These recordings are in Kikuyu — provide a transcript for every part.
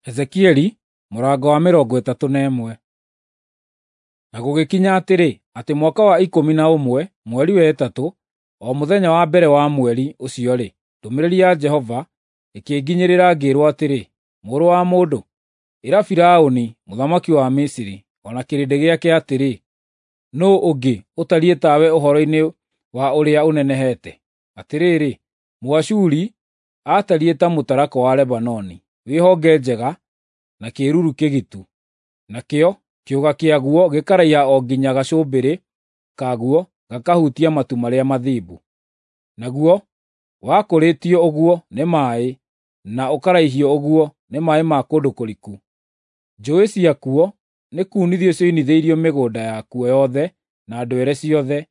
Ezekieli mũrango wa 31. Na gũgĩkinya atĩrĩ, atĩ mwaka wa 11, mweri wa 3, o mũthenya wa mbere wa mweri ũcio-rĩ, ndũmĩrĩri ya Jehova ĩkĩnginyĩrĩra ngĩĩrwo atĩrĩ, Mũrũ wa mũndũ, ĩra Firaũni mũthamaki wa Misiri o na kĩrĩndĩ gĩake atĩrĩ, Nũũ ũngĩ ũtariĩ tawe ũhoro-inĩ wa ũrĩa ũnenehete? Atĩrĩrĩ, Mũashuri aatariĩ ta mũtarakwa wa Lebanoni, wĩ honge njega na kĩĩruru kĩgitu, nakĩo kĩũga kĩaguo gĩkaraiha o nginya gacũmbĩrĩ kaguo gakahutia matu marĩa mathimbu. Naguo wakũrĩtio ũguo nĩ maaĩ na ũkaraihio ũguo nĩ maaĩ ma kũndũ kũriku. Njũũĩ ciakuo nĩkunithio cioinithĩirio mĩgũnda yakuo yothe na ndwere ciothe,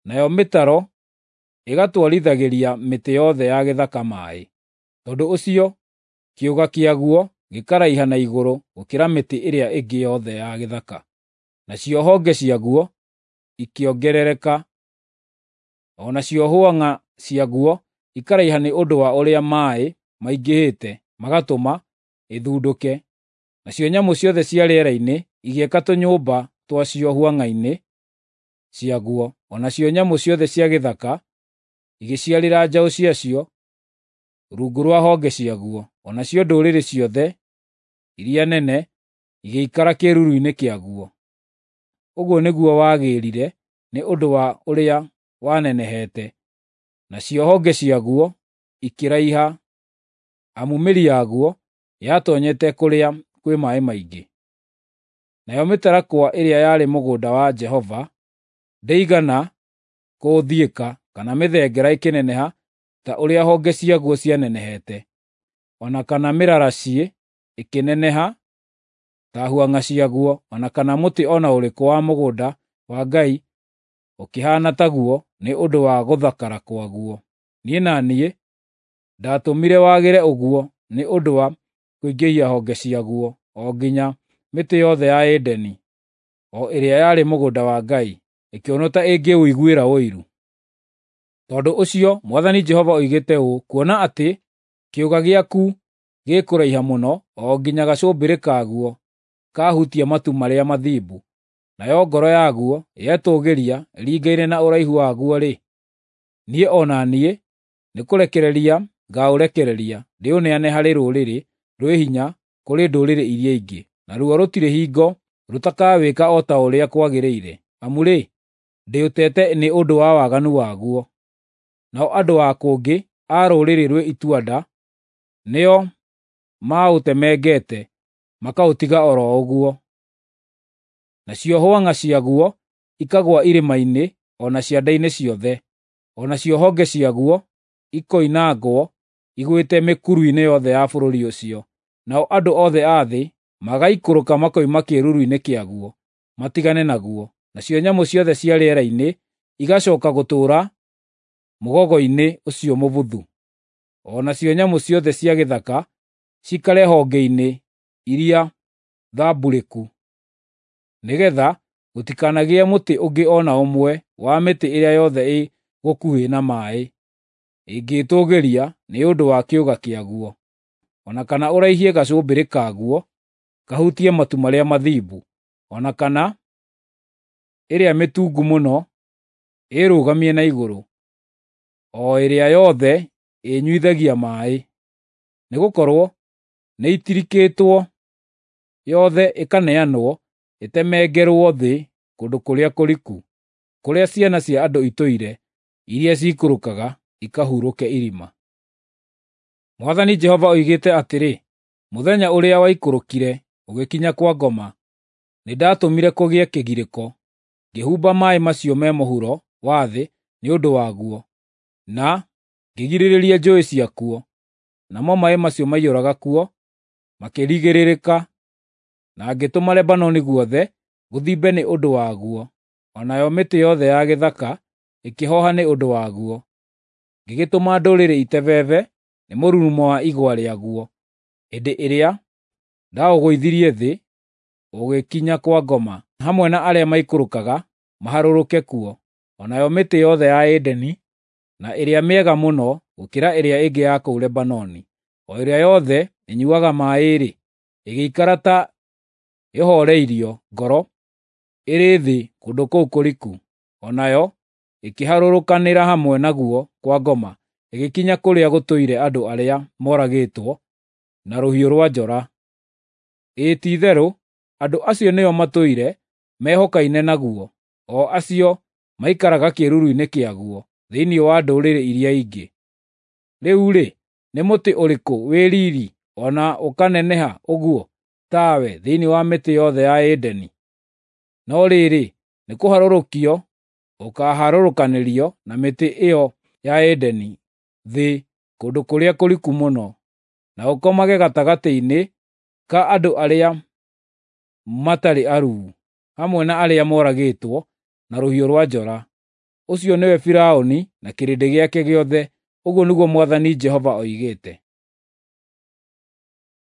nayo mĩtaro ĩgatwarithagĩria mĩtĩ yothe ya gĩthaka maaĩ. Tondũ ũcio kĩũga kĩaguo gĩkaraiha na igũrũ gũkĩra mĩtĩ ĩrĩa ĩngĩ yothe ya gĩthaka, nacio honge ciaguo ikĩongerereka, o nacio hwang'a ciaguo ikaraiha nĩ ũndũ wa ũrĩa maaĩ maingĩhĩte magatũma ĩthundũke. Nacio nyamũ ciothe cia rĩera-inĩ igĩaka tũnyũmba twacio hwang'a-inĩ ciaguo, o nacio nyamũ ciothe cia gĩthaka igĩciarĩra njaũ ciacio rungu rwa honge ciaguo, o nacio ndũrĩrĩ ciothe iria nene igĩikara kĩĩruru-inĩ kĩaguo. Ũguo nĩguo wagĩrire nĩ ũndũ wa ũrĩa wanenehete, nacio honge ciaguo ikĩraiha, amu mĩri yaguo yatoonyete kũrĩa kwĩ maaĩ maingĩ. Nayo mĩtarakwa ĩrĩa yarĩ mũgũnda wa Jehova ndĩigana kũũthiĩka kana mĩthengera ĩkĩneneha ta ũrĩa honge ciaguo cianenehete, o na kana mĩraraciĩ ĩkĩneneha ta hwang'a ciaguo, o na kana mũtĩ o na ũrĩkũ wa mũgũnda wa Ngai ũkĩhaana taguo nĩ ũndũ wa gũthakara kwaguo. Niĩ na niĩ ndatũmire wagĩre ũguo nĩ ũndũ wa kũingĩhia honge ciaguo o nginya mĩtĩ yothe ya Edeni, o ĩrĩa yarĩ mũgũnda wa Ngai, ĩkĩonwo ta ĩngĩũiguĩra ũiru. Tondũ ũcio Mwathani Jehova oigĩte ũũ, kuona atĩ kĩũga gĩaku gĩkũraiha mũno o nginya gacũmbĩrĩ kaguo kahutia matu marĩa mathimbu, nayo ngoro yaguo yetũũgĩria ĩringaine na ũraihu waguo-rĩ, niĩ o na niĩ nĩkũrekereria ngaũrekereria ndĩũneane harĩ rũrĩrĩ rwĩ hinya kũrĩ ndũrĩrĩ iria ingĩ, naruo rũtirĩ hingo rũtakawĩka o ta ũrĩa kwagĩrĩire, amu-rĩ, ndĩũtete nĩ ũndũ wa waganu waguo. Nao andũ a kũngĩ a rũrĩrĩ rwĩ itua-nda nĩo maũtemengete makaũtiga o ro ũguo. Nacio hwang'a ciaguo ikagũa irĩma-inĩ o na cianda-inĩ ciothe, o nacio honge ciaguo ikoinangwo igwĩte mĩkuru-inĩ yothe ya bũrũri ũcio. Nao andũ othe a thĩ magaikũrũka makoima kĩĩruru-inĩ kĩaguo matigane naguo, nacio nyamũ ciothe cia rĩera-inĩ igacooka gũtũũra mũgogo-inĩ ũcio mũbuthu, o nacio nyamũ ciothe cia gĩthaka ciikare honge-inĩ iria thamburĩku, nĩgeetha gũtikanagĩe mũtĩ ũngĩ o na ũmwe wa mĩtĩ ĩrĩa yothe ĩ gũkuhĩ na maaĩ ĩngĩĩtũũgĩria nĩ ũndũ wa kĩũga kĩaguo, o na kana ũraihie gacũmbĩrĩ kaguo kahutie matu marĩa mathimbu, o na kana ĩrĩa mĩtungu mũno ĩrũgamie na igũrũ, o ĩrĩa yothe ĩnyuithagia maaĩ. Nĩgũkorwo nĩitirikĩtwo yothe ĩkaneanwo ĩtemengerwo thĩ kũndũ kũrĩa kũriku, kũrĩa ciana cia andũ itũire, iria ciikũrũkaga ikahurũke irima. Mwathani Jehova oigĩte atĩrĩ, mũthenya ũrĩa waikũrũkire ũgĩkinya kwa ngoma, nĩndatũmire kũgĩe kĩgirĩko, ngĩhumba maaĩ macio me mũhuro wa thĩ nĩ ũndũ waguo, na ngĩgirĩrĩria njũũĩ ciakuo, namo maaĩ macio maiyũraga kuo makĩrigĩrĩrĩka, na ngĩtũma Lebanoni guothe gũthimbe nĩ ũndũ waguo, o nayo mĩtĩ yothe ya gĩthaka ĩkĩhooha nĩ ũndũ waguo. Ngĩgĩtũma ndũrĩrĩ itebebe nĩ mũrurumo wa igwa rĩaguo, hĩndĩ ĩrĩa ndaũgũithirie thĩ ũgĩkinya kwa ngoma, hamwe na arĩa maikũrũkaga maharũrũke kuo, o nayo mĩtĩ yothe ya Edeni, na ĩrĩa mĩega mũno gũkĩra ĩrĩa ĩngĩ ya kũu Lebanoni, o ĩrĩa yothe ĩnyuuaga maaĩ-rĩ, ĩgĩikara ta ĩhooreirio ngoro ĩrĩ thĩ kũndũ kũu kũriku, o nayo ĩkĩharũrũkanĩra hamwe naguo kwa ngoma, ĩgĩkinya kũrĩa gũtũire andũ arĩa moragĩtwo na rũhiũ rwa njora. Ĩĩ ti-itherũ, andũ acio nĩo matũire mehokaine naguo, o acio maikaraga kĩĩruru-inĩ kĩaguo thĩinĩ wa ndũrĩrĩ iria ingĩ. Rĩu-rĩ, nĩ mũtĩ ũrĩkũ wĩ riiri o na ũkaneneha ũguo tawe thĩinĩ wa mĩtĩ yothe ya Edeni? No rĩrĩ, nĩkũharũrũkio ũkaaharũrũkanĩrio na mĩtĩ ĩyo ya Edeni thĩ kũndũ kũrĩa kũriku mũno, na ũkomage gatagatĩ-inĩ ka andũ arĩa matarĩ aruu, hamwe na arĩa moragĩtwo na rũhiũ rwa njora. Ũcio nĩwe Firaũni na kĩrĩndĩ gĩake gĩothe, ũguo nĩguo Mwathani Jehova oigĩte.